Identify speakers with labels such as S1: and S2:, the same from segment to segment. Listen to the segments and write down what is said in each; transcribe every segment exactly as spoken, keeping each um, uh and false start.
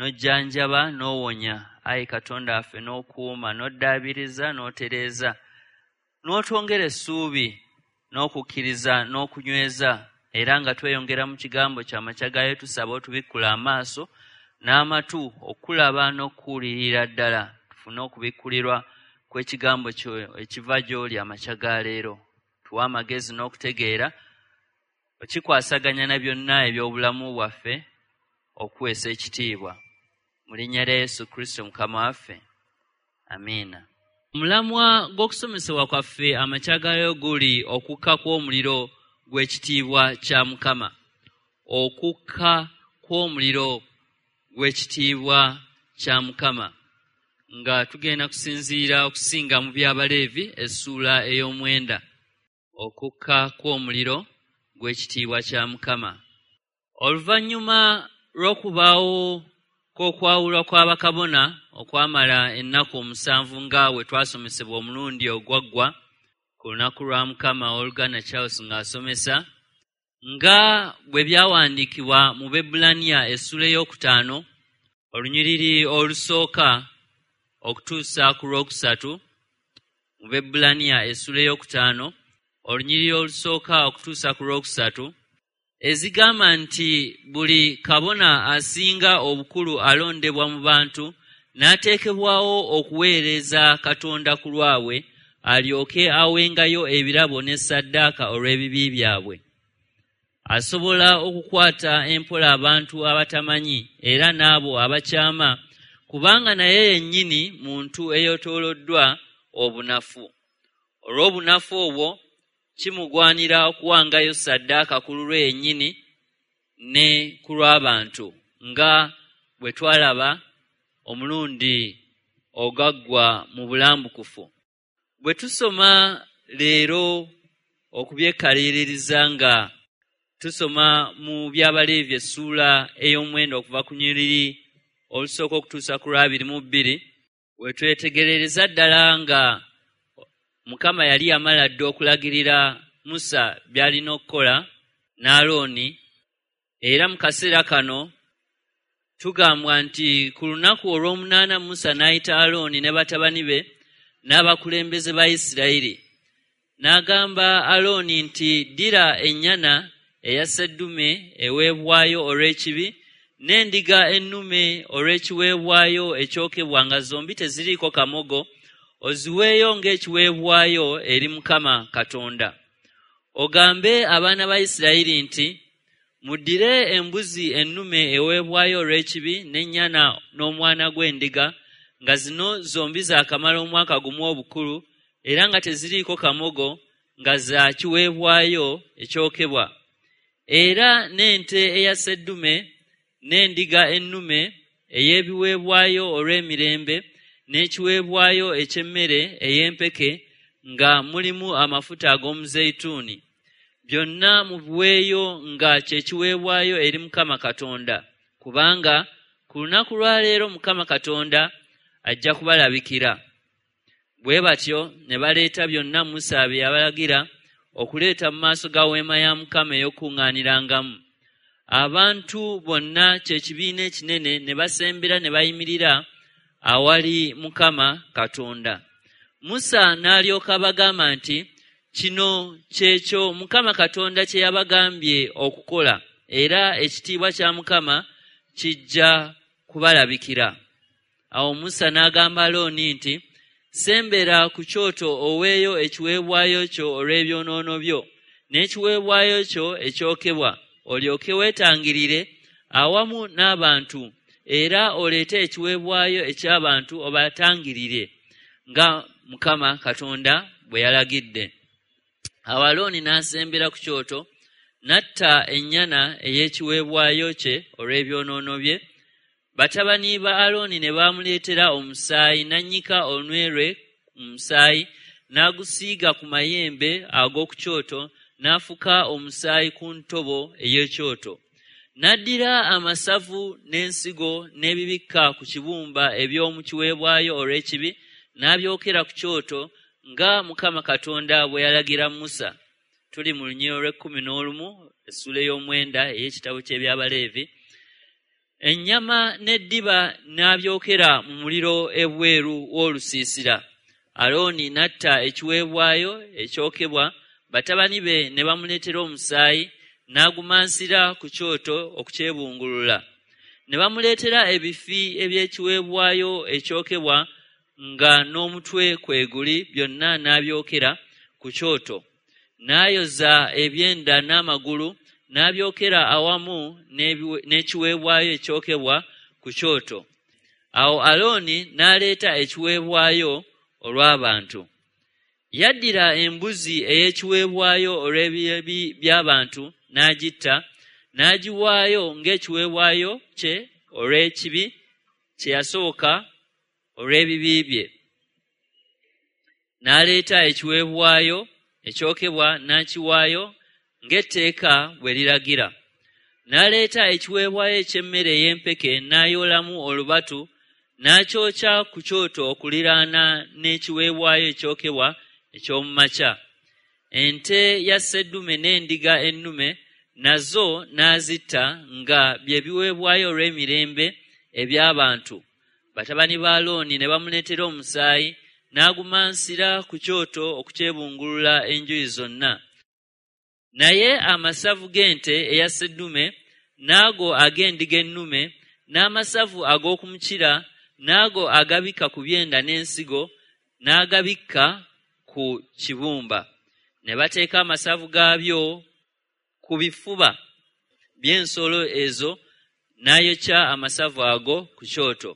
S1: N'ojjanjaba n'owonya, ayi Katonda waffe, n'okuuma, n'oddaabiriza, n'otereeza, n'otwongera essuubi n'okukkiriza n'okunyweza. Era nga tweyongera mu kigambo ky'amakya gaayo, tusaba otubikkula amaaso n'amatu okulaba n'okuwulirira ddala, tufune okubikkulirwa kw'ekigambo kyo ekiva gy'oli amakya ga leero. Tuwe amagezi n'okutegeera okikwasaganya na byonna eby'obulamu bwaffe okuweesa ekitiibwa. Mu linnya lya Yesu Kristo Mukama waffe, amiina. Omulamwa gw'okusomesebwa kwaffe amakya ga leero guli okukka kw'omuliro gw'ekitiibwa kya Mukama. Okukka kw'omuliro gw'ekitiibwa kya Mukama. Nga tugenda kusinziira okusinga mu by'Abaleevi essuula ey'omwenda. Okukka kw'omuliro gw'ekitiibwa kya Mukama. Oluvannyuma lw'okubaawo kw'okwawulwa kw'abakabona okwamala ennaku omusanvu nga bwe twasomesebwa omulundi ogwaggwa ku lunaku lwa Mukama, Oluganda Charles ng'asomesa, nga bwe byawandiikibwa mu Bebbulaniya essuula ey'okutaano olunyiriri olusooka okutuusa ku lwokusatu. Mu Bebbulaniya essuula ey'okutaano olunyiriri olusooka okutuusa ku lwokusatu, ezigamba nti buli kabona asinga obukulu alondebwa mu bantu n'ateekebwawo okuweereza Katonda ku lwabwe, alyoke awengayo ebirabo ne ssaddaaka olw'ebibi byabwe. Asobola okukwata empola abantu abatamanyi era n'abo abakyama, kubanga naye yennyini muntu eyeetooloddwa obunafu. Olw'obunafu obwo kimugwanira okuwangayo ssaddaaka ku lulwe yennyini ne ku lw'abantu, nga bwe twalaba omulundi ogaggwa mu bulambukufu. Bwe tusoma leero okubyekaliririza nga tusoma mu by'Abaleevi essuula ey'omwenda okuva ku nyiriri olusooka okutuusa ku lwabiri mu bbiri, we twetegerereza ddala nga Mukama yali yamala dda okulagirira Musa by'alina okukola ne Alooni. Era mu kaseera kano tugambwa nti ku lunaku olw'omunaana Musa n'ayita Alooni ne batabani be n'abakulembeze ba Isirayiri. N'agamba Alooni nti, ddira ennyana eya sseddume eweebwayo olw'ekibi n'endiga ennume olw'ekiweebwayo ekyokebwa nga zombi teziriiko kamogo, oziweeyo ng'ekiweebwayo eri Mukama Katonda. Ogambe abaana ba Isirayiri nti, muddire embuzi ennume eweebwayo olw'ekibi n'ennyana n'omwana gw'endiga, nga zino zombi zaakamala omwaka gumu obukulu era nga teziriiko kamogo, nga za kiweebwayo ekyokebwa. Era n'ente eya sseddume n'endiga ennume ey'ebiweebwayo olw'emirembe n'ekiweebwayo eky'emmere ey'empeke nga mulimu amafuta ag'omuzeyituuni. Byonna mubiweeyo nga kye kiweebwayo eri Mukama Katonda, kubanga ku lunaku lwa leero Mukama Katonda ajja kubalabikira. Bwe batyo ne baleeta byonna Musa bye yabalagira okuleeta mu maaso ga weema ya Mukama ey'okukuŋŋaanirangamu. Abantu bonna kye kibiina ekinene ne basembera ne bayimirira awali Mukama Katonda. Musa n'alyoka abagamba nti, kino kyekyo Mukama Katonda kye yabagambye okukola, era ekitiibwa kya Mukama kijja kubalabikira. Awo Musa n'agamba Alooni nti, sembera ku kyoto oweeyo ekiweebwayo kyo olw'ebyonoono byo n'ekiweebwayo kyo ekyokebwa, olyoke weetangirire awamu n'abantu, era oleete ekiweebwayo eky'abantu obatangirire nga Mukama Katonda bwe yalagidde. Awo Alooni n'asembera ku kyoto n'atta ennyana ey'ekiweebwayo kye olw'ebyonoono bye. Batabani ba Alooni ne bamuleetera omusaayi, n'annyika olunwe lwe mu musaayi, n'agusiiga ku mayembe ag'oku kyoto, n'afuka omusaayi ku ntobo ey'ekyoto. N'addira amasavu n'ensigo n'ebibikka ku kibumba eby'omu kiweebwayo olw'ekibi, n'abyokera ku kyoto nga Mukama Katonda bwe yalagira Musa. Tuli mu lunyiriri olw'ekkumi n'olumu, essuula ey'omwenda ey'ekitabo ky'eby'Abaleevi. Ennyama n'eddiba n'abyokera mu muliro ebweru w'olusiisira. Alooni n'atta ekiweebwayo ekyokebwa, batabani be ne bamuleetera omusaayi, n'agumansira ku kyoto okukyebungulula. Ne bamuleetera ebifi eby'ekiweebwayo ekyokebwa nga n'omutwe kwe guli, byonna n'abyokera ku kyoto. N'ayoza ebyenda n'amagulu, n'abyokera awamu n'ekiweebwayo ekyokebwa ku kyoto. Awo Alooni n'aleeta ekiweebwayo olw'abantu. Yaddira embuzi ey'ekiweebwayo olw'ebibi by'abantu n'agitta, n'agiwaayo ng'ekiweebwayo kye olw'ekibi kye yasooka olw'ebibi bye. N'aleeta ekiweebwayo ekyokebwa n'akiwaayo ng'etteeka bwe liragira. N'aleeta ekiweebwayo eky'emmere ey'empeke n'ayoolamu olubatu, n'akyokya ku kyoto okuliraana n'ekiweebwayo ekyokebwa eky'omu makya. Ente ya sseddume n'endiga ennume nazo n'azitta nga bye biweebwayo olw'emirembe eby'abantu. Batabani ba Alooni ne bamuleetera omusaayi, n'agumansira ku kyoto okukyebungulula enjuyi zonna. Naye amasavu g'ente eya sseddume n'ago ag'endiga ennume n'amasavu ag'okumukira n'ago agabikka ku byenda n'ensigo n'agabikka ku kibumba. Ne bateeka amasavu gaabyo ku bifuba by'ensolo ezo, n'ayokya amasavu ago ku kyoto.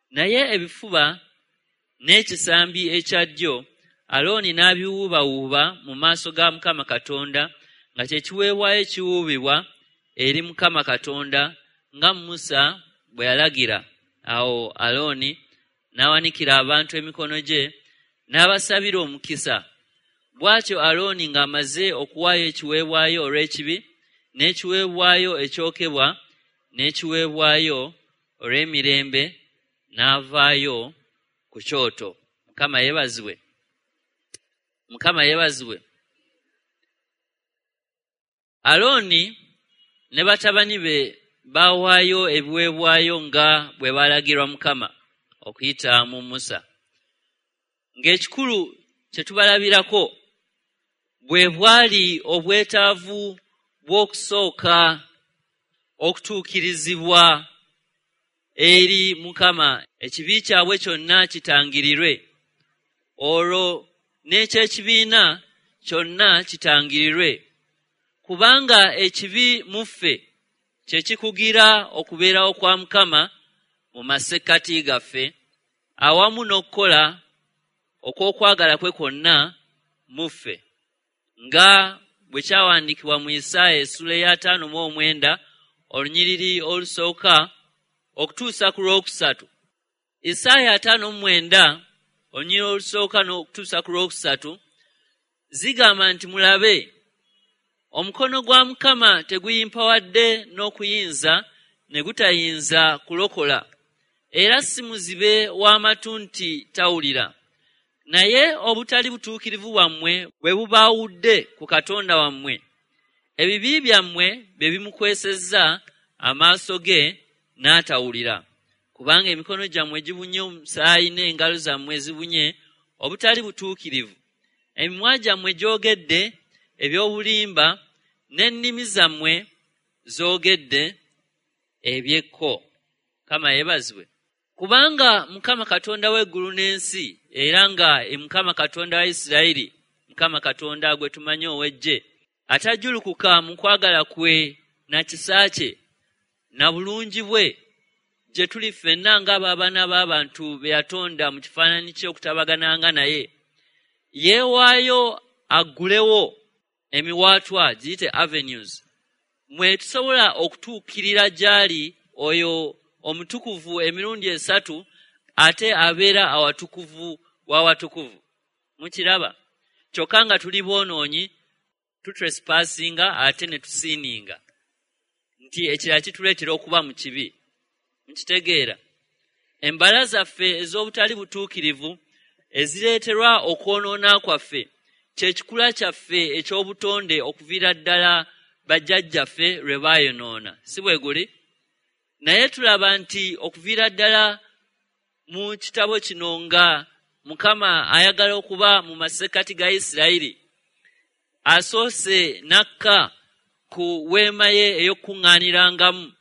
S1: Naye ebifuba n'ekisambi ekya ddyo Alooni n'abiwuubawuuba mu maaso ga Mukama Katonda, nga kye kiweebwayo ekiwuubibwa eri Mukama Katonda, nga Musa bwe yalagira. Awo Alooni n'awanikira abantu emikono gye, n'abasabira omukisa. Bw'atyo Alooni ng'amaze okuwaayo ekiweebwayo olw'ekibi, n'ekiweebwayo ekyokebwa, n'ekiweebwayo olw'emirembe, n'avaayo ku kyoto. Mukama yeebazibwe. Mukama yeebazibwe. Alooni ne batabani be baawaayo ebiweebwayo nga bwe baalagirwa Mukama okuyita mu Musa. Ng'ekikulu kye tubalabirako bwe bwali obwetaavu bw'okusooka okutuukirizibwa eri Mukama, ekibi kyabwe kyonna kitangirirwe, olwo n'ekyekibiina kyonna kitangirirwe, kubanga ekibi mu ffe kye kikugira okubeerawo kwa Mukama mu masekkati gaffe, awamu n'okukola okw'okwagala kwe kwonna mu ffe, nga bwe kyawandiikibwa mu Isaaya essula ey'ataano mu omwenda olunyiriri olusooka okutuusa ku lwokusatu. Isaaya ataano mu mwenda olunyiriri olusooka n'okutuusa ku lwokusatu zigamba nti, mulabe, omukono gwa Mukama teguyimpawadde n'okuyinza ne gutayinza kulokola, era si muzibe w'amatu nti tawulira. Naye obutali butuukirivu bwammwe bwe bubaawudde ku Katonda wammwe, ebibi byammwe bye bimukwesezza amaaso ge n'atawulira. Kubanga emikono gyammwe gibunye omusaayi n'engalo zammwe zibunye obutali butuukirivu. Emimwa gyammwe gyogedde eby'obulimba, n'ennimi zammwe zoogedde ebyekko. Mukama yeebazibwe. Kubanga Mukama Katonda w'eggulu n'ensi, era nga Mukama Katonda wa Isirayiri, Mukama Katonda gwe tumanyi ow'eggye, atajjulukuka mu kwagala kwe na kisa kye na bulungi bwe gye tuli ffenna ng'abaana b'abantu be yatonda mu kifaananyi kye okutabagananga naye, yeewaayo aggulewo emiwaatwa, giyite avenues, mwe tusobola okutuukirira gy'ali oyo omutukuvu emirundi esatu, ate abeera awatukuvu w'awatukuvu. Mukiraba? Kyokka nga tuli boonoonyi, tutrespassinga ate ne tusiininga, nti ekirala kituleetera okuba mu kibi. Mukitegeera? Embala zaffe ez'obutali butuukirivu ezireeterwa okwonoona kwaffe kye kikula kyaffe eky'obutonde okuviira ddala bajjajjaffe lwe baayonoona. Si bwe guli? Naye tulaba nti okuviira ddala mu kitabo kino nga Mukama ayagala okuba mu masekkati ga Isirayiri, asoose n'akka ku weema ye ey'okukuŋŋaanirangamu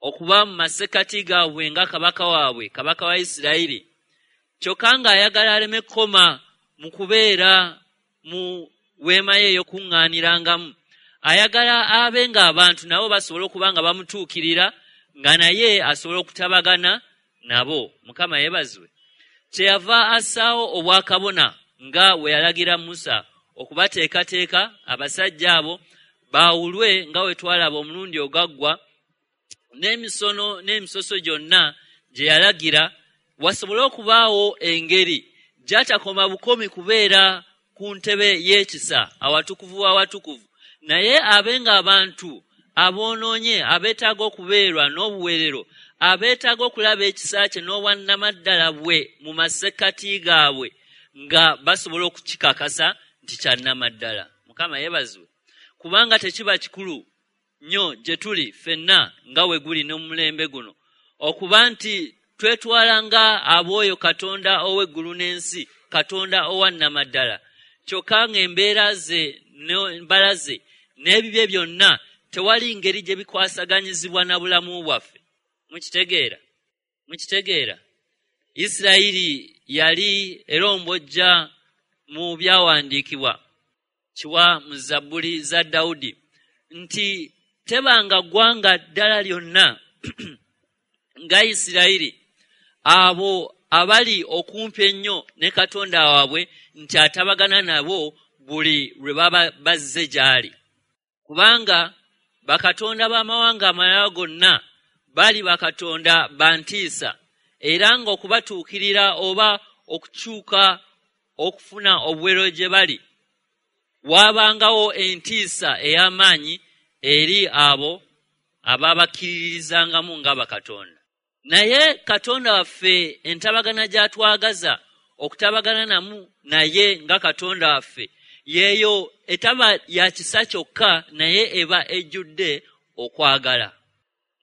S1: okuba mu masekkati gaabwe nga kabaka waabwe, kabaka wa Isirayiri. Kyokka ng'ayagala aleme kukoma mu kubeera mu weema ye ey'okukuŋŋaanirangamu, ayagala abe ng'abantu nabo basobola okuba nga bamutuukirira, nga naye asobola okutabagana nabo. Mukama yeebazibwe. Kyeyava assaawo obwakabona nga bwe yalagira Musa okubateekateeka abasajja abo baawulwe nga bwe twalaba omulundi ogaggwa, n'emisono n'emisoso gyonna gye yalagira, wasobole okubaawo engeri gy'atakoma bukomi kubeera ku ntebe y'ekisa awatukuvu w'awatukuvu, naye abe ng'abantu aboonoonye abeetaaga okubeerwa n'obuweerero, abeetaaga okulaba ekisa kye n'obwannamaddala bwe mu masekkati gaabwe, nga basobola okukikakasa nti kya nnamaddala. Mukama yeebazibwe. Kubanga tekiba kikulu nnyo gye tuli ffenna nga we guli n'omulembe guno okuba nti twetwala nga ab'oyo Katonda ow'eggulu n'ensi, Katonda owannamaddala, kyokka ng'embeera ze n'embala ze n'ebibye byonna tewali ngeri gye bikwasaganyizibwa na bulamu bwaffe. Mukitegeera? Mukitegeera? Isirayiri yali erombojja mu byawandiikibwa kiwa mu Zabbuli za Dawudi nti tebanga ggwanga ddala lyonna nga Isirayiri, abo abali okumpi ennyo ne Katonda waabwe nti atabagana nabo buli lwe baba bazze gy'ali. Kubanga bakatonda b'amawanga amalala gonna bali bakatonda ba ntiisa, era ng'okubatuukirira oba okukyuka okufuna obuweerero gye bali, waabangawo entiisa ey'amaanyi eri abo ababakkiririzangamu nga bakatonda. Naye Katonda waffe entabagana gy'atwagaza okutabagana namu naye nga Katonda waffe yeeyo etaba ya kisa kyokka, naye eba ejjudde okwagala.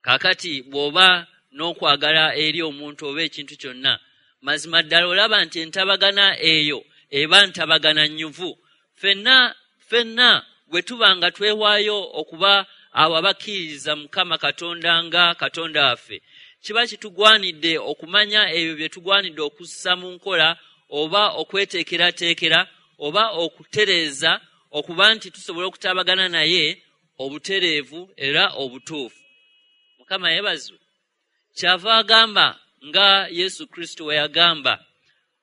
S1: Kaakati bw'oba n'okwagala eri omuntu oba ekintu kyonna, mazima ddala olaba nti entabagana eyo eba ntabagana nnyuvu. Ffenna ffenna bwe tuba nga twewaayo okuba abo abakkiririza Mukama Katonda nga Katonda waffe, kiba kitugwanidde okumanya ebyo bye tugwanidde okussa mu nkola oba okweteekerateekera oba okutereeza okuba nti tusobola okutabagana naye obutereevu era obutuufu. Mukama yeebazibwe. Kyava agamba nga Yesu Kristo we yagamba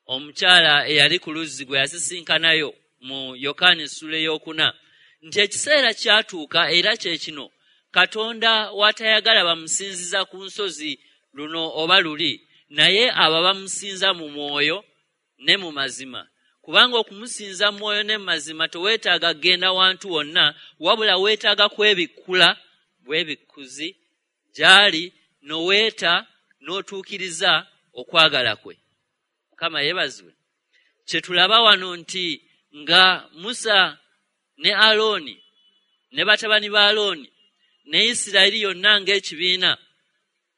S1: omukyala eyali ku luzzi gwe yasisinkanayo mu Yokaana essuula ey'okuna nti ekiseera kyatuuka era kye kino, Katonda w'atayagala bamusinziza ku nsozi luno oba luli, naye abo bamusinza mu mwoyo ne mu mazima. Kubanga okumusinza mu mwoyo ne mu mazima teweetaaga kugenda wantu wonna, wabula weetaaga kwebikkula bwebikkuzi gy'ali n'oweeta n'otuukiriza okwagala kwe. Mukama yeebazibwe. Kye tulaba wano nti nga Musa ne Alooni ne batabani ba Alooni ne Isirayiri yonna ng'ekibiina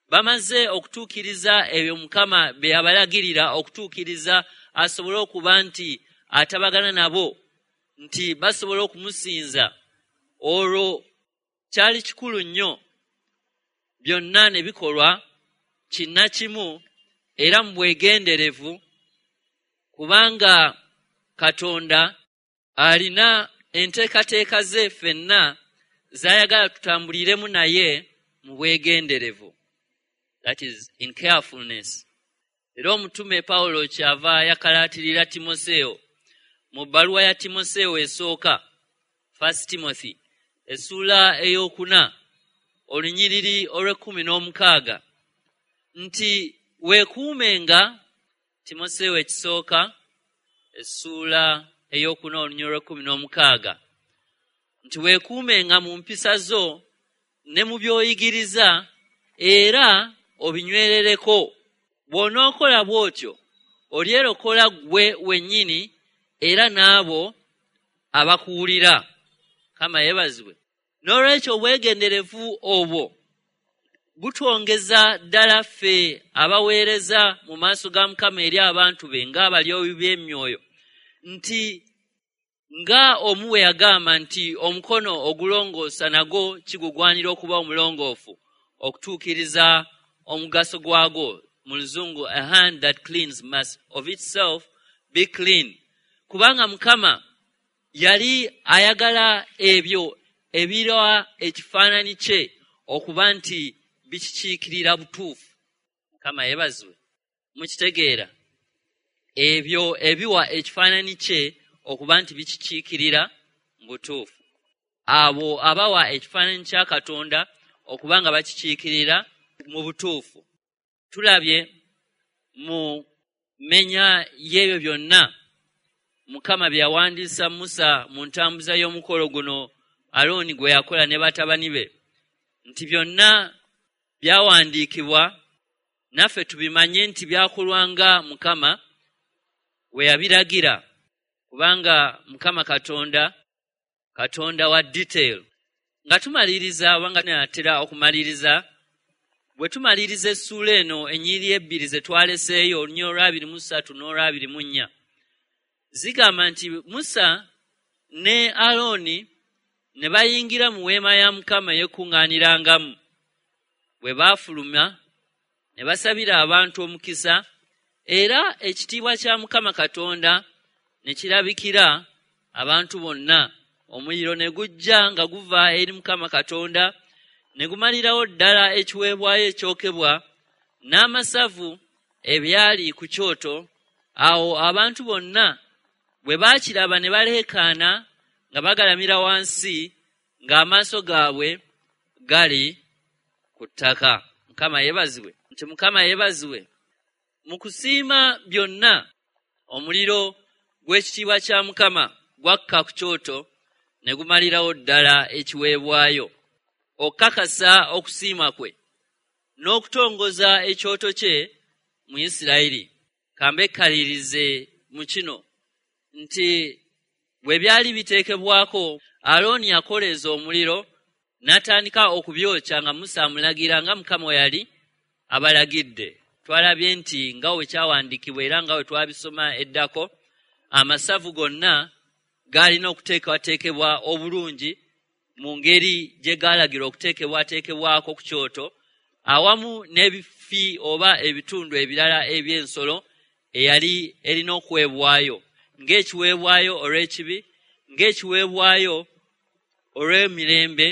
S1: bamaze okutuukiriza ebyo Mukama bye yabalagirira okutuukiriza, asobole okuba nti atabagana nabo nti basobola okumusinza. Olwo kyali kikulu nnyo byonna ne bikolwa kinnakimu era mu bwegenderevu, kubanga Katonda alina enteekateeka ze ffenna z'ayagala tutambuliremu naye mu bwegenderevu, that is in carefulness. Era omutume Pawulo kyava yakalaatirira Timoseewo mu bbaluwa ya Timoseewo esooka, First Timothy essuula ey'okuna olunyiriri olw'ekkumi n'omukaaga nti weekuumenga. Timoseewo ekisooka essuula ey'okuna olunyiriri olw'ekkumi n'omukaaga nti weekuumenga mu mpisa zo ne mu by'oyigiriza era obinywerereko. Bw'onookola bw'otyo olyerokola ggwe wennyini era n'abo abakuwulira. Mukama yeebazibwe. N'olwekyo obwegenderevu obwo Butwongeza ddala ffe abaweereza mu maaso ga Mukama eri abantu be ng'abalyowi b'emyoyo, nti nga omu we yagamba nti omukono ogulongoosa nagwo kigugwanira okuba omulongoofu okutuukiriza omugaso gwagwo. Mu Luzungu, a hand that cleans must of itself be clean. Kubanga Mukama yali ayagala ebyo ebirwa ekifaananyi kye okuba nti bikikiikirira butuufu. Mukama yeebazibwe. Mukitegeera, ebyo ebiwa ekifaananyi kye okuba nti bikikiikirira butuufu. Abo abawa ekifaananyi kya Katonda okuba nga bakikiikirira mu butuufu. Tulabye mu mmenya y'ebyo byonna Mukama bye yawandiisa Musa mu ntambuza y'omukolo guno Alooni gwe yakola ne batabani be, nti byonna byawandiikibwa naffe tubimanye nti byakolwanga Mukama we yabiragira, kubanga Mukama Katonda Katonda wa detail. Nga tumaliriza oba nga tunaatera okumaliriza, bwe tumaliriza essuula eno ennyiriri ebbiri ze twaleseeyo, olunyiriri olw'abiri mu ssatu n'olw'abiri mu nnya, zigamba nti Musa ne Alooni ne bayingira mu weema ya Mukama ey'okukuŋŋaanirangamu. Bwe baafuluma ne basabira abantu omukisa, era ekitiibwa kya Mukama Katonda ne kirabikira abantu bonna. Omuliro ne gujja nga guva eri Mukama Katonda ne gumalirawo ddala ekiweebwayo ekyokebwa n'amasavu ebyali ku kyoto. Awo abantu bonna bwe baakiraba ne baleekaana nga bagalamira wansi, ng'amaaso gaabwe gali ku ttaka. Mukama yeebazibwe. Nti Mukama yeebazibwe. Mu kusiima byonna, omuliro gw'ekitiibwa kya Mukama gwakka ku kyoto ne gumalirawo ddala ekiweebwayo, okukakasa okusiima kwe n'okutongoza ekyoto kye mu Isirayiri. Kambekkalirize mu kino nti bwe byali biteekebwako, Alooni yakoleeza omuliro n'atandika okubyokya nga Musa amulagira nga Mukama yali abalagidde. Twalabye nti nga we kyawandiikibwa era nga we twabisoma eddako, amasavu gonna gaalina okuteekebwateekebwa obulungi mu ngeri gye gaalagirwa okuteekebwateekebwako ku kyoto, awamu n'ebifi oba ebitundu ebirala eby'ensolo eyali erina okuweebwayo ng'ekiweebwayo olw'ekibi, ng'ekiweebwayo olw'emirembe,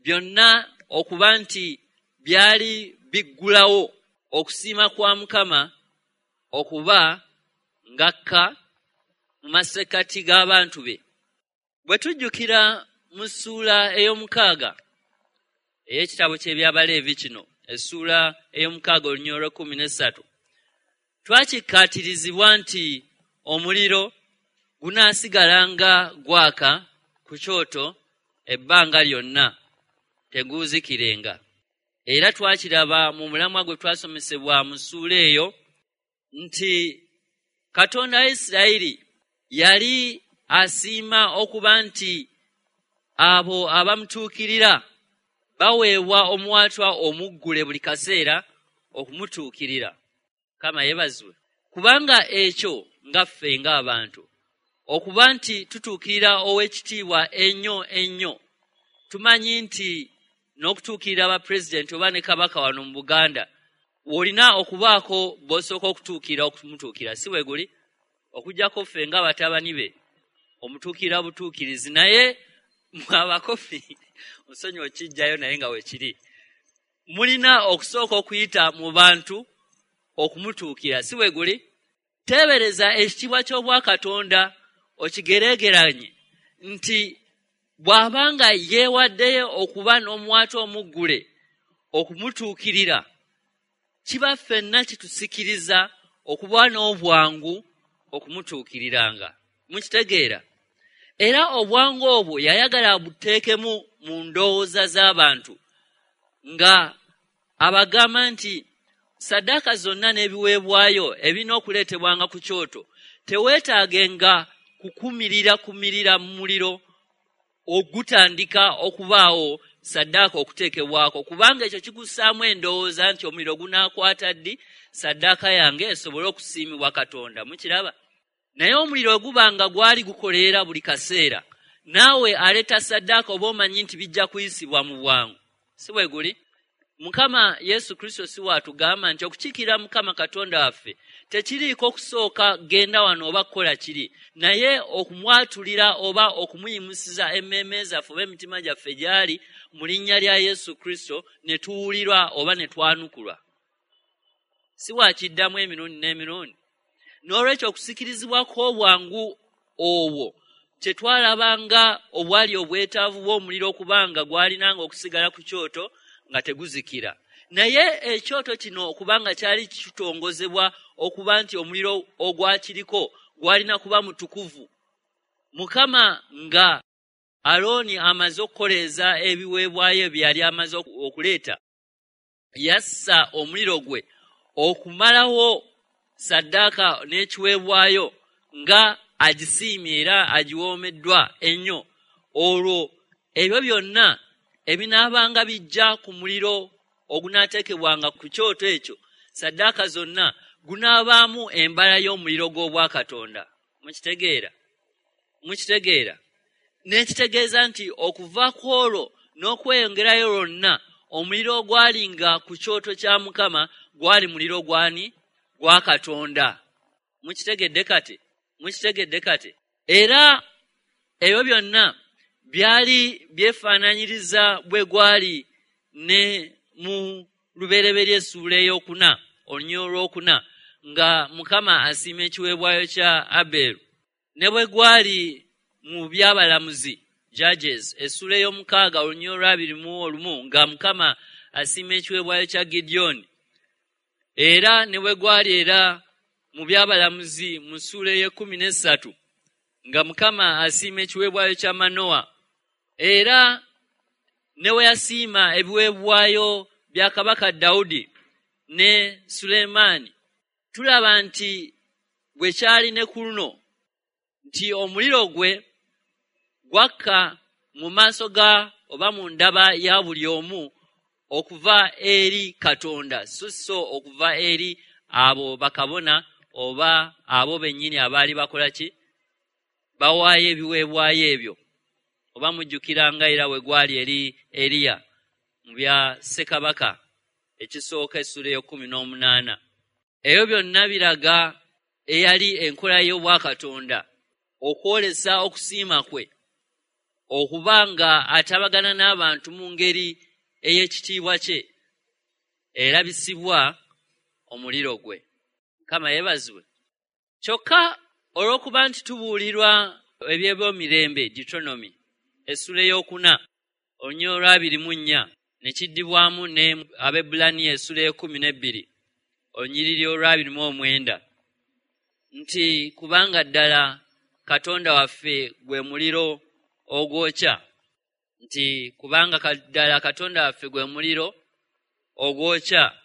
S1: byonna okuba nti byali biggulawo okusiima kwa Mukama okuba ng'akka mu masekkati g'abantu be. Bwe tujjukira mu ssuula ey'omukaaga ey'ekitabo ky'Ebyabaleevi kino, essuula ey'omukaaga olunyiriri olw'ekkumi n'essatu, twakikkaatirizibwa nti omuliro gunaasigalanga gwaka ku kyoto ebbanga lyonna, teguuzikirenga. Era twakiraba mu mulamwa gwe twasomesebwa mu ssuula eyo nti Katonda wa Isirayiri yali asiima okuba nti abo abamutuukirira baweebwa omuwaatwa omuggule buli kaseera okumutuukirira. Mukama yeebazibwe. Kubanga ekyo nga ffe ng'abantu okuba nti tutuukirira ow'ekitiibwa ennyo ennyo, tumanyi nti n'okutuukirira bapulezidenti oba ne kabaka wano mu Buganda, olina okubaako bw'osooka okutuukirira okumutuukira, si bwe guli? Okuggyako ffe ng'abatabani be omutuukirira butuukirizi, naye abakofi nsonyiwa okijjayo naye nga weekiri, mulina okusooka okuyita mu bantu okumutuukira, si bwe guli? Teebereza ekitiibwa ky'Obwakatonda okigereegeranye nti bw'abanga yeewaddeyo okuba n'omuwaatwa omuggule okumutuukirira, kiba ffenna kitusikiriza okuba n'obwangu okumutuukiriranga. Mukitegeera? Era obwangu obwo yayagala buteekemu mu ndowooza z'abantu nga abagamba nti saddaaka zonna n'ebiweebwayo ebirina okuleetebwanga ku kyoto teweetaagenga kukumirira kumirira mu muliro ogutandika okubaawo saddaaka okuteekebwako, kubanga ekyo kikussaamu endowooza nti omuliro gunaakwata ddi saddaaka yange esobole okusiimibwa Katonda. Mukiraba? Naye omuliro guba nga gwali gukoleera buli kaseera, naawe aleeta saddaaka oba omanyi nti bijja kuyisibwa mu bwangu. Si bwe guli? Mukama Yesu Kristo si waatugamba nti okukiikirira Mukama Katonda waffe tekiriiko okusooka genda wano oba kukola kiri, naye okumwatulira oba okumuyimusiza emmeeme zaffe oba emitima gyaffe gy'ali mu linnya lya Yesu Kristo ne tuwulirwa oba ne twanukulwa. Si waakiddamu emirundi n'emirundi. N'olwekyo okusikirizibwa kw'obwangu obwo kyetwalabanga obwali obwetaavu bw'omuliro okubanga gwalinanga okusigala ku kyoto nga teguzikira. Naye ekyoto kino okubanga kyali kitongozebwa okuba nti omuliro ogwakiriko gwalina kuba mutukuvu. Mukama nga Alooni amaze okukoleeza ebiweebwayo bye yali amaze okuleeta, yassa omuliro gwe okumalawo saddaaka n'ekiweebwayo nga agisiimye era agiwoomeddwa ennyo. Olwo ebyo byonna ebinaabanga bijja ku muliro ogunaateekebwanga ku kyoto ekyo, saddaaka zonna, gunaabaamu embala y'omuliro gw'Obwakatonda. Mukitegeera? Mukitegeera? N'ekitegeeza nti okuva ku olwo n'okweyongerayo lwonna, omuliro ogwalinga ku kyoto kya Mukama gwali muliro gwani? Gwa Katonda. Mukitegedde kati? Mukitegedde kati? Era ebyo byonna byali byefaananyiriza bwe gwali ne mu Lubereberye essuula ey'okuna, olunyiriri olwokuna, nga Mukama asiima ekiweebwayo kya Aberu. Ne bwe gwali mu Byabalamuzi, Judges, essuula ey'omukaaga olunyiriri olw'abiri mu olumu, nga Mukama asiima ekiweebwayo kya Gidyoni. Era ne bwe gwali era mu Byabalamuzi mu ssuula ey'ekkumi n'essatu, nga Mukama asiima ekiweebwayo kya Manowa. Era ne we yasiima ebiweebwayo bya Kabaka Dawudi ne Sulemaani, tulaba nti bwe kyali ne ku luno nti omuliro gwe gwakka mu maaso ga oba mu ndaba ya buli omu okuva eri Katonda, so so okuva eri abo bakabona oba abo bennyini abaali bakola ki? Bawaayo ebiweebwayo ebyo. Oba mujjukiranga era we gwali eri Eriya mu bya Ssekabaka ekisooka essuula ey'ekkumi n'omunaana. Ebyo byonna biraga eyali enkola y'Obwakatonda okwolesa okusiima kwe, okuba nga atabagana n'abantu mu ngeri ey'ekitiibwa kye erabisibwa omuliro gwe. Mukama yeebazibwe. Kyokka olw'okuba nti tubuulirwa eby'ebyomirembe, Deuteronomy essuula ey'okuna olunyiriri olw'abiri mu nnya, ne kiddibwamu ne Abaebbulaniya essuula ey'ekkumi n'ebbiri olunyiriri olw'abiri mu omwenda, nti kubanga ddala Katonda waffe gwe muliro ogwokya, nti kubanga ddala Katonda waffe gwe muliro ogwokya.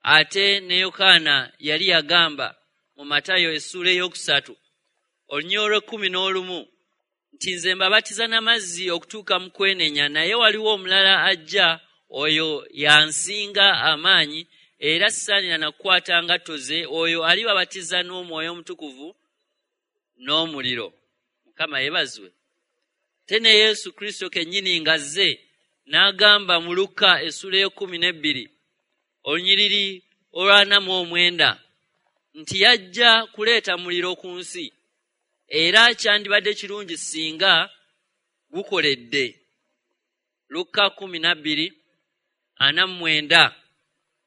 S1: Ate ne Yokaana yali yagamba mu Matayo essuula ey'okusatu olunyiriri olw'ekkumi n'olumu nti nze mbabatiza n'amazzi okutuuka mu kwenenya, naye waliwo omulala ajja, oyo yansinga amaanyi, era sisaanira na kukwata ngatto ze, oyo alibabatiza n'Omwoyo Omutukuvu n'omuliro. Mukama yeebazibwe. Te ne Yesu Kristo kennyini ng'azze n'agamba mu Lukka essuula ey'ekkumi n'ebbiri olunyiriri olw'ana mu omwenda nti yajja kuleeta muliro ku nsi, era kyandibadde kirungi singa gukoledde. Lukka kkumi na bbiri ana mu mwenda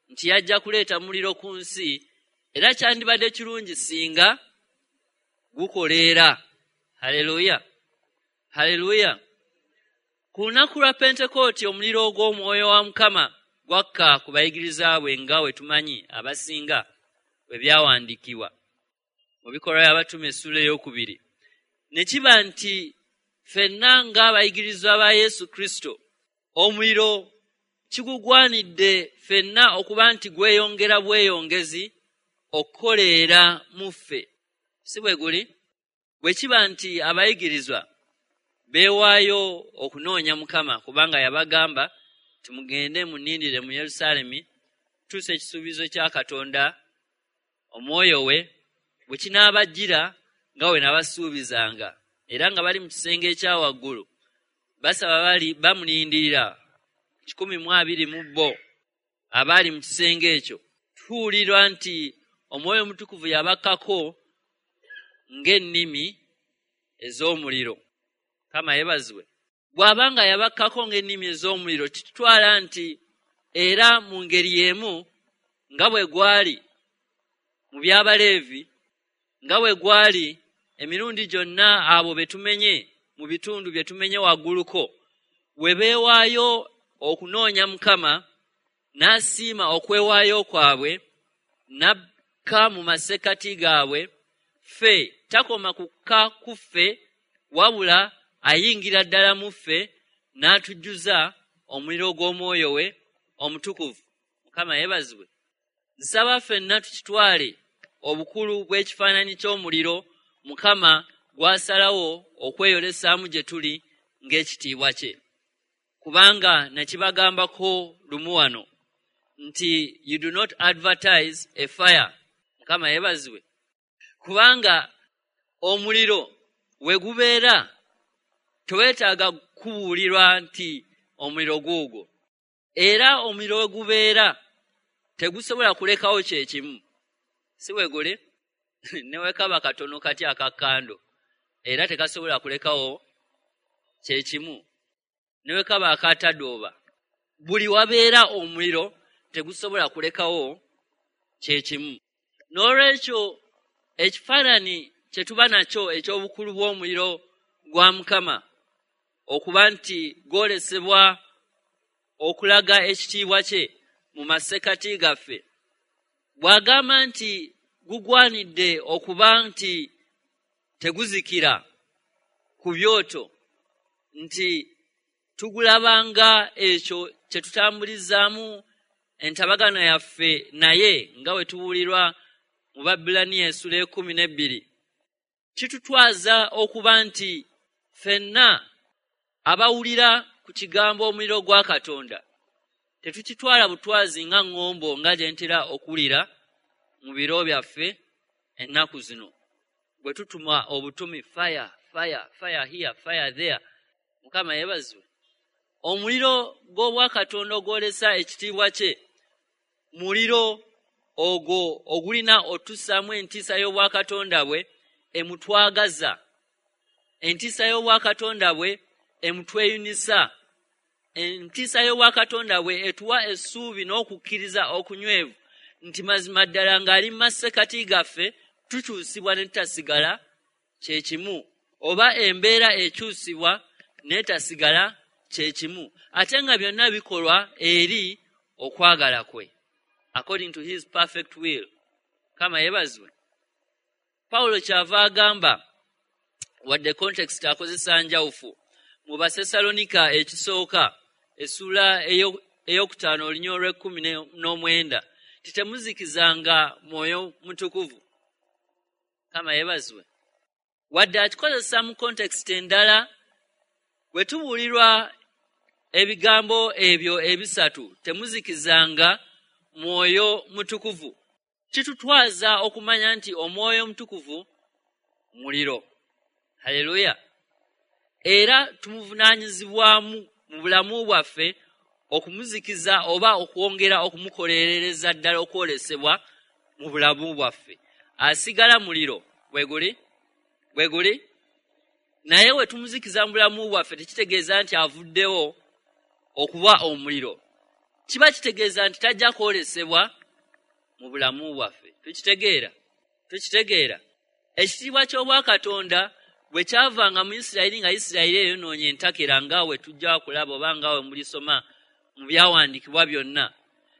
S1: nti yajja kuleeta muliro ku nsi, era kyandibadde kirungi singa gukoleera. Haleluya, haleluya. Ku lunaku lwa Pentekooti omuliro ogw'Omwoyo wa Mukama gwakka ku bayigiriza bwe nga we tumanyi abasinga bwe byawandiikibwa mu Bikolwa by'Abatume essuula ey'okubiri. Ne kiba nti ffenna ng'abayigirizwa ba Yesu Kristo, omuliro kigugwanidde ffenna okuba nti gweyongera bweyongezi okukoleera mu ffe. Si bwe guli? Bwe kiba nti abayigirizwa Beewaayo okunoonya Mukama, kubanga yabagamba timugende munindire mu Yerusaalemi tuuse ekisuubizo kya Katonda omwoyo we bwe kinaabajjira nga we nabasuubizanga. Era nga bali mu kisenge ekya waggulu basaba, bali bamulindirira kikumi mu abiri mu bo abaali mu kisenge ekyo. Tuwulirwa nti Omwoyo Omutukuvu yabakkako ng'ennimi ez'omuliro. Mukama yeebazibwe. Bw'abanga yabakkako ng'ennimi ez'omuliro, kitutwala nti era mu ngeri y'emu nga bwe gwali mu by'Abaleevi, nga bwe gwali emirundi gyonna abo be tumenye mu bitundu bye tumenye wagguluko, we beewaayo okunoonya Mukama, n'asiima okwewaayo kwabwe, n'akka mu masekkati gaabwe. Ffe takoma kukka ku ffe, wabula ayingira ddala mu ffe n'atujjuza omuliro gw'omwoyo we Omutukuvu. Mukama yeebazibwe. Nsaba ffenna tukitwale obukulu bw'ekifaananyi ky'omuliro Mukama gw'asalawo okweyolesaamu gye tuli ng'ekitiibwa kye. Kubanga nakibagambako lumu wano nti you do not advertise a fire. Mukama yeebazibwe. Kubanga omuliro we gubeera teweetaaga kubuulirwa nti omuliro guugwo. Era omuliro we gubeera tegusobola kulekawo kye kimu. Si bwe guli? Ne bwe kaba katono kati akakando, era tekasobola kulekawo kye kimu. Ne bwe kaba akatadooba, buli wabeera omuliro tegusobola kulekawo kye kimu. N'olwekyo ekifaananyi kye tuba nakyo eky'obukulu bw'omuliro gwa Mukama okuba nti gwolesebwa okulaga ekitiibwa kye mu masekkati gaffe, bw'agamba nti gugwanidde okuba nti teguzikira ku byoto, nti tugulabanga ekyo kye tutambulizaamu entabagano yaffe naye nga bwe tubuulirwa mu Babbulaniya essula ekkumi n'ebbiri. Kitutwaza okuba nti ffenna abawulira ku kigambo omuliro gwa Katonda tetukitwala butwazi nga ŋŋombo nga gye ntera okuwulira mu biro byaffe ennaku zino, bwe tutuma obutumi fire, fire, fire here, fire there. Mukama yeebazibwe. Omuliro gw'Obwakatonda ogwolesa ekitiibwa kye muliro ogwo ogulina otussaamu entiisa y'Obwakatonda bwe emutwagaza, entiisa y'Obwakatonda bwe emutweyunisa, entiisa y'Obwakatonda bwe etuwa essuubi n'okukkiriza okunywevu nti mazima ddala ng'ali mu masekkati gaffe tukyusibwa ne tutasigala kye kimu, oba embeera ekyusibwa n'etasigala kye kimu, ate nga byonna bikolwa eri okwagala kwe, according to his perfect will. Mukama yeebazibwe. Pawulo kyava agamba, wadde context akozesa njawufu, mu Basesalonika ekisooka essuula ey'okutaano olunyiriri olw'ekkumi n'omwenda, nti temuzikizanga Mwoyo Mutukuvu. Mukama yeebazibwe. Wadde akikozesa mu context endala, bwe tubuulirwa ebigambo ebyo ebisatu, temuzikizanga Mwoyo Mutukuvu, kitutwaza okumanya nti Omwoyo Omutukuvu muliro. Haleluya. Era tumuvunaanyizibwamu mu bulamu bwaffe okumuzikiza oba okwongera okumukolerereza ddala okwolesebwa mu bulamu bwaffe. Asigala muliro bwe guli bwe guli, naye we tumuzikiza mu bulamu bwaffe tekitegeeza nti avuddewo okuba omuliro, kiba kitegeeza nti tajja kwolesebwa mu bulamu bwaffe. Tukitegeera? Tukitegeera. Ekitiibwa ky'Obwakatonda bwe kyavanga mu Isirayiri, nga Isirayiri eyonoonye entakera nga we tujja kulaba oba nga we mulisoma mu byawandiikibwa byonna,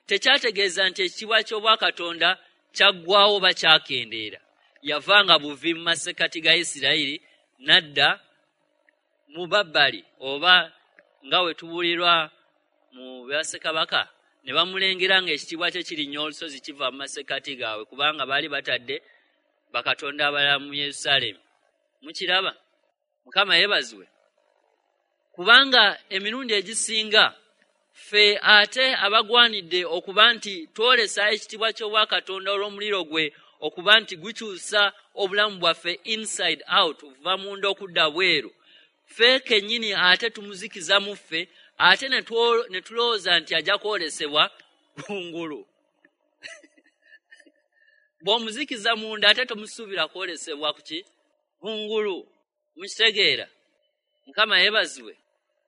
S1: tekyategeeza nti ekitiibwa ky'Obwakatonda kyaggwawo oba kyakendeera. Yavanga buvi mu masekkati ga Isirayiri n'adda mu Babbali, oba nga we tubuulirwa mu Bassekabaka, ne bamulengera ng'ekitiibwa kye kirinnya olusozi kiva mu masekkati gaabwe, kubanga baali batadde bakatonda abalala mu Yerusaalemi. Mukiraba? Mukama yeebazibwe. Kubanga emirundi egisinga ffe ate abagwanidde okuba nti twolesa ekitiibwa ky'obwakatonda olw'omuliro gwe okuba nti gukyusa obulamu bwaffe inside out, okuva munda okudda bweru, ffe kennyini ate tumuzikiza mu ffe, ate ne tulowooza nti ajja kwolesebwa kungulu. Bw'omuzikiza munda ate tomusuubira kwolesebwa kuki? Kungulu. Mukitegeera? Mukama yeebazibwe.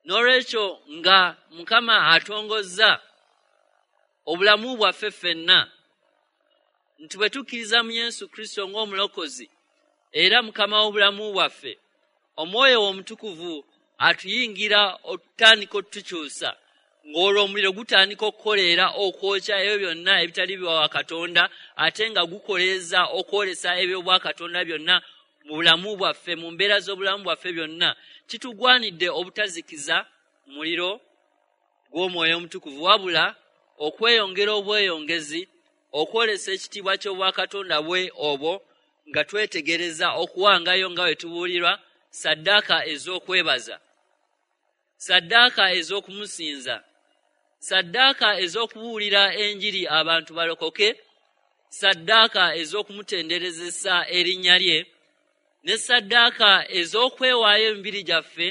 S1: N'olwekyo nga Mukama atongozza obulamu bwaffe ffenna nti bwe tukkiriza mu Yesu Kristo ng'omulokozi era Mukama w'obulamu bwaffe, Omwoyo Omutukuvu atuyingira otutandika otukyusa, ng'olwo omuliro gutandika okukoleera okwokya ebyo byonna ebitali bya Katonda, ate nga gukoleeza okwolesa eby'obwakatonda byonna mu bulamu bwaffe, mu mbeera z'obulamu bwaffe byonna. Kitugwanidde obutazikiza muliro gw'Omwoyo Omutukuvu, wabula okweyongera obweyongezi okwolesa ekitiibwa ky'obwakatonda bwe obwo, nga twetegereza okuwangayo nga bwe tubuulirwa saddaaka ez'okwebaza, saddaaka ez'okumusinza, saddaaka ez'okubuulira enjiri abantu balokoke, saddaaka ez'okumutenderezesa erinnya lye, ne saddaaka ez'okwewaayo emibiri gyaffe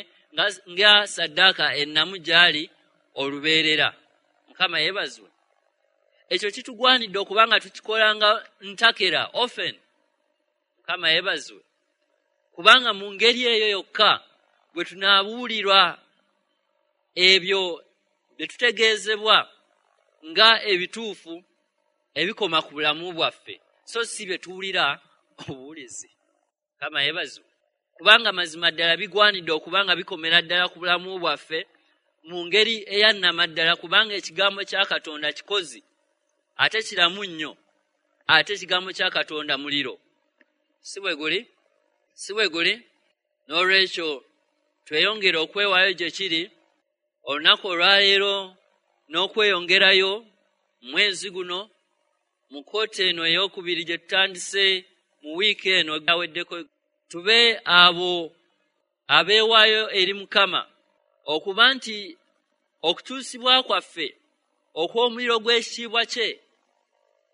S1: nga saddaaka ennamu gy'ali olubeerera. Mukama yeebazibwe. Ekyo kitugwanidde okuba nga tukikolanga ntakera, often. Mukama yeebazibwe. Kubanga mu ngeri eyo yokka bwe tunaabuulirwa ebyo bye tutegeezebwa nga ebituufu ebikoma ku bulamu bwaffe, so si bye tuwulira obuwulizi. Mukama yeebazibwe. Kubanga mazima ddala bigwanidde okuba nga bikomera ddala ku bulamu bwaffe mu ngeri eyannamaddala, kubanga ekigambo kya Katonda kikozi ate kiramu nnyo, ate ekigambo kya Katonda muliro. Si bwe guli? Si bwe guli? N'olwekyo tweyongere okwewaayo gye kiri olunaku olwaleero n'okweyongerayo mwezi guno mu kkooti eno ey'okubiri gye tutandise mu wiiki eno eweddeko, tube abo abeewaayo eri Mukama okuba nti okukyusibwa kwaffe okw'omuliro gw'ekitiibwa kye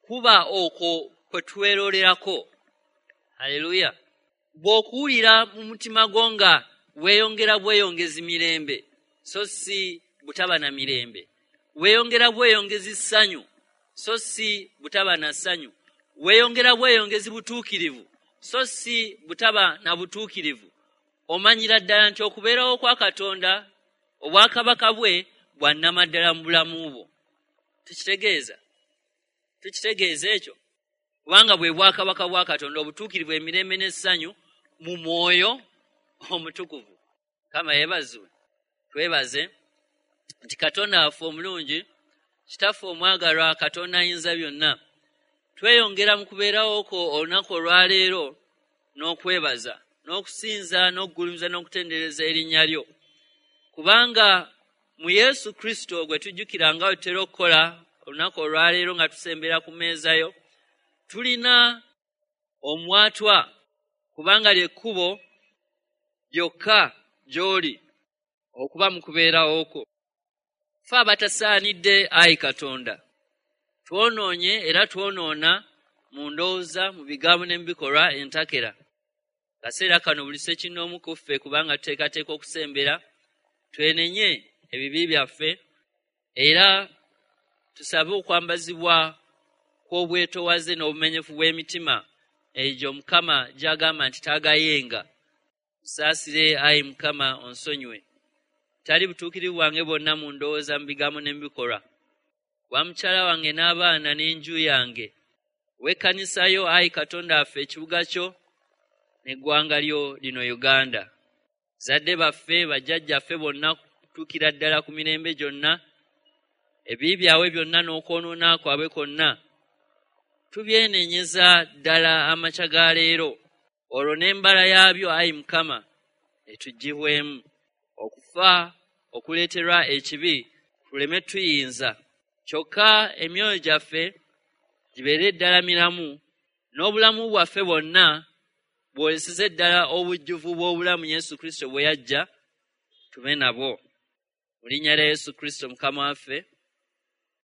S1: kuba okwo kwe twerolerako. Haleluya. Bw'okuwulira mu mutima gwo nga weeyongera bweyongezi mirembe, so si butaba na mirembe, weeyongera bweyongezi ssanyu, so si butaba na ssanyu, weeyongera bweyongezi butuukirivu, so si butaba na butuukirivu, omanyira ddala nti okubeerawo kwa Katonda, obwakabaka bwe bwa nnamaddala mu bulamu bwo. Tukitegeeza? Tukitegeeza ekyo? Kubanga bwe bwakabaka bwa Katonda, obutuukirivu, emirembe n'essanyu mu Mwoyo Omutukuvu. Mukama yeebazibwe. Twebaze nti Katonda waffe omulungi, Kitaffe omwagalwa, Katonda ayinza byonna, tweyongera mu kubeerawo kwo olunaku olwaleero n'okwebaza n'okusinza n'okugulumiza n'okutendereza erinnya lyo, kubanga mu Yesu Kristo gwe tujjukira nga bwe tutera okukola olunaku olwaleero nga tusembera ku mmeeza yo, tulina omwatwa, kubanga ly'ekkubo lyokka gy'oli okuba mu kubeerawo kwo. Ffe abatasaanidde, ayi Katonda, twonoonye era twonoona mu ndowooza, mu bigambo ne mu bikolwa entakera. Kaseera kano buli ssekinnoomu ku ffe, kubanga tuteekateeka okusembera, twenenye ebibi byaffe era tusabe okwambazibwa kw'obwetoowaze n'obumenyefu bw'emitima egyo Mukama gy'agamba nti taagayenga. Nsaasire, ayi Mukama, onsonyiwe tali butuukirivu bwange bwonna mu ndowooza, mu bigambo ne mu bikolwa, wa mukyala wange n'abaana n'enju yange, w'ekkanisa yo, ayi Katonda waffe, ekibuga kyo n'eggwanga lyo lino Uganda, zadde baffe, bajjajjaffe bonna kutuukira ddala ku mirembe gyonna, ebibi byabwe byonna n'okwonoona kwabwe kwonna tubyenenyeza ddala amakya ga leero, olwo n'embala yaabyo, ayi Mukama, etuggyibwemu. Okufa okuleeterwa ekibi tuleme tuyinza, kyokka emyoyo gyaffe gibeere ddala miramu, n'obulamu bwaffe bwonna bwoleseze ddala obujjuvu bw'obulamu Yesu Kristo bwe yajja tube nabwo. Mu linnya lya Yesu Kristo Mukama waffe.